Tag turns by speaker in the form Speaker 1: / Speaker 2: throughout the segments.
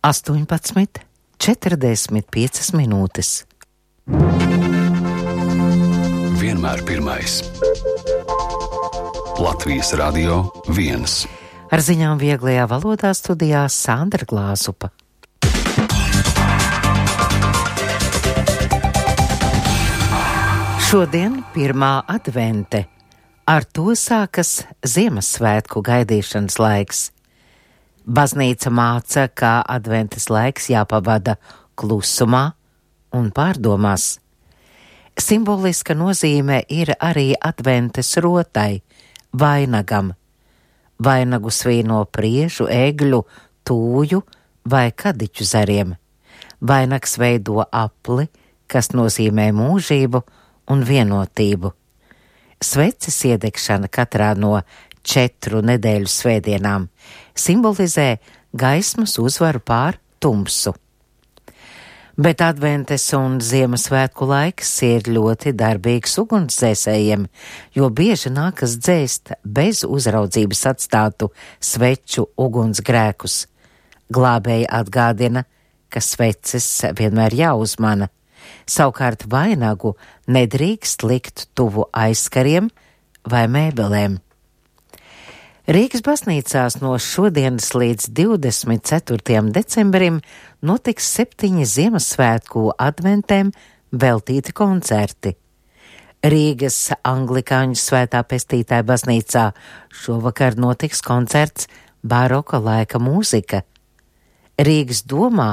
Speaker 1: 18:45 minūtes.
Speaker 2: Vienmēr pirmais. Latvijas Radio 1.
Speaker 1: Ar ziņām vieglajā valodā studijā Sandra Glāzupa. Šodien pirmā advente. Ar to sākas Ziemassvētku gaidīšanas laiks. Baznīca māca, ka adventes laiks jāpavada klusumā un pārdomās. Simboliska nozīme ir arī adventes rotai, vainagam. Vainagu svīno priežu, egļu, tūju vai kadiķu zariem. Vainags veido apli, kas nozīmē mūžību un vienotību. Sveces iedegšana katrā no 4 nedēļu svētdienām simbolizē gaismas uzvaru pār tumsu. Bet adventes un Ziemassvētku laiks ir ļoti darbīgs ugunsdzēsējiem, jo bieži nākas dzēst bez uzraudzības atstātu sveču ugunsgrēkus. Glābēji atgādina, ka sveces vienmēr jāuzmana. Savukārt vainagu nedrīkst likt tuvu aizkariem vai mēbelēm. Rīgas baznīcās no šodienas līdz 24. decembrim notiks 7 Ziemassvētku adventēm veltīti koncerti. Rīgas anglikāņu Svētā Pestītāja baznīcā šovakar notiks koncerts baroka laika mūzika. Rīgas domā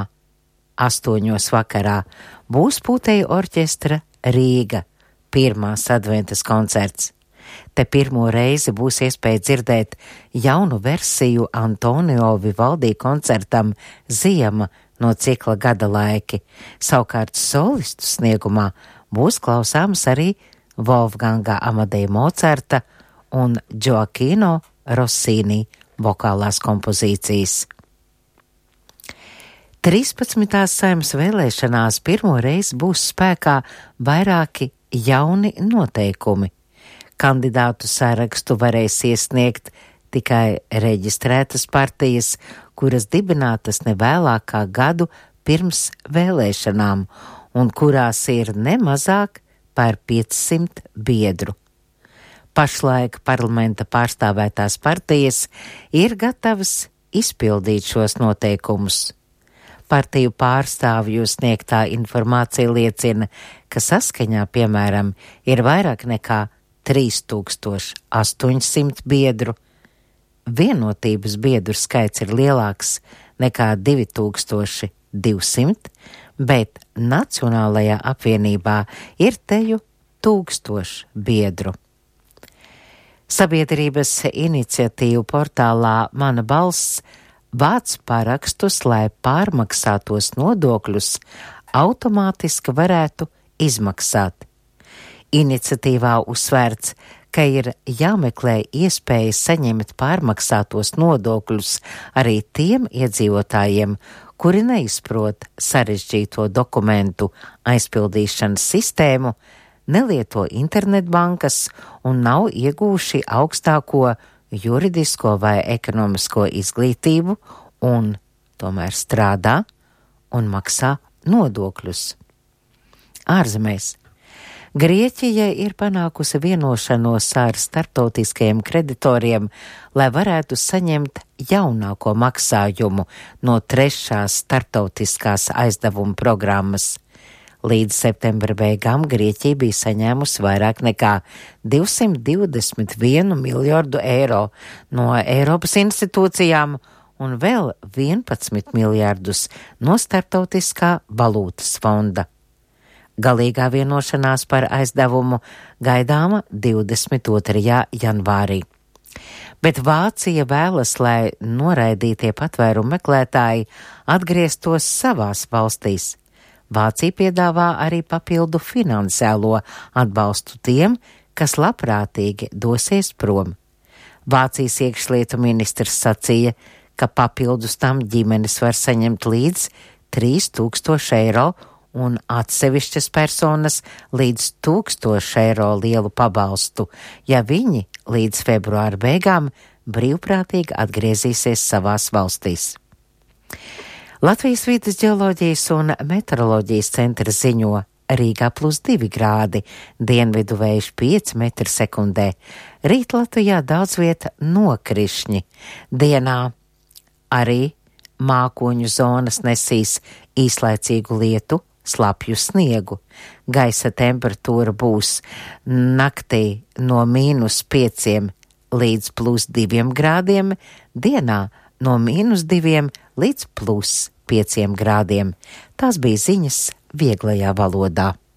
Speaker 1: 8 vakarā būs pūtēju orķestra Rīga, pirmās adventas koncerts. Te pirmo reizi būs iespēja dzirdēt jaunu versiju Antonio Vivaldi koncertam Ziema no cikla Gada laiki. Savukārt solistu sniegumā būs klausāms arī Wolfganga Amadeja Mocarta un Gioacchino Rossini vokālās kompozīcijas. 13. Saeimas vēlēšanās pirmo reizi būs spēkā vairāki jauni noteikumi. Kandidātu sarakstu varēs iesniegt tikai reģistrētas partijas, kuras dibinātas nevēlāk kā gadu pirms vēlēšanām un kurās ir nemazāk par 500 biedru. Pašlaik parlamenta pārstāvētās partijas ir gatavas izpildīt šos noteikumus. Partiju pārstāvju sniegtā informācija liecina, ka saskaņā, piemēram, ir vairāk nekā 3800 biedru. Vienotības biedru skaits ir lielāks nekā 2200, bet Nacionālajā apvienībā ir teju 1000 biedru. Sabiedrības iniciatīvu portālā Mana balss vāc parakstus, lai pārmaksātos nodokļus automātiski varētu izmaksāt. Iniciatīvā uzsvērts, ka ir jāmeklē iespējas saņemt pārmaksātos nodokļus arī tiem iedzīvotājiem, kuri neizprot sarežģīto dokumentu aizpildīšanas sistēmu, nelieto internetbankas un nav iegūši augstāko juridisko vai ekonomisko izglītību un tomēr strādā un maksā nodokļus. Ārzemēs. Grieķija ir panākusi vienošanos ar starptautiskajiem kreditoriem, lai varētu saņemt jaunāko maksājumu no 3. starptautiskās aizdevuma programmas. Līdz septembra beigām Grieķija bija saņēmusi vairāk nekā 221 miljardu eiro no Eiropas institūcijām un vēl 11 miljardus no Starptautiskā valūtas fonda. Galīgā vienošanās par aizdevumu gaidāma 22. janvārī. Bet Vācija vēlas, lai noraidītie patvērumu meklētāji atgrieztos savās valstīs. Vācija piedāvā arī papildu finansiālo atbalstu tiem, kas labprātīgi dosies prom. Vācijas iekšlietu ministrs sacīja, ka papildus tam ģimenes var saņemt līdz 3000 eiro un atsevišķas personas līdz 1000 eiro lielu pabalstu, ja viņi līdz februāra beigām brīvprātīgi atgriezīsies savās valstīs. Latvijas vides ģeoloģijas un meteoroloģijas centrs ziņo Rīgā +2 grādi, dienvidu vējš 5 m/sekundē. Rīt Latvijā daudz vieta nokrišņi. Dienā arī mākoņu zonas nesīs īslaicīgu lietu, slapju sniegu. Gaisa temperatūra būs naktī no -5 līdz +2 grādiem, dienā no -2 līdz +5 grādiem. Tās bija ziņas vieglajā valodā.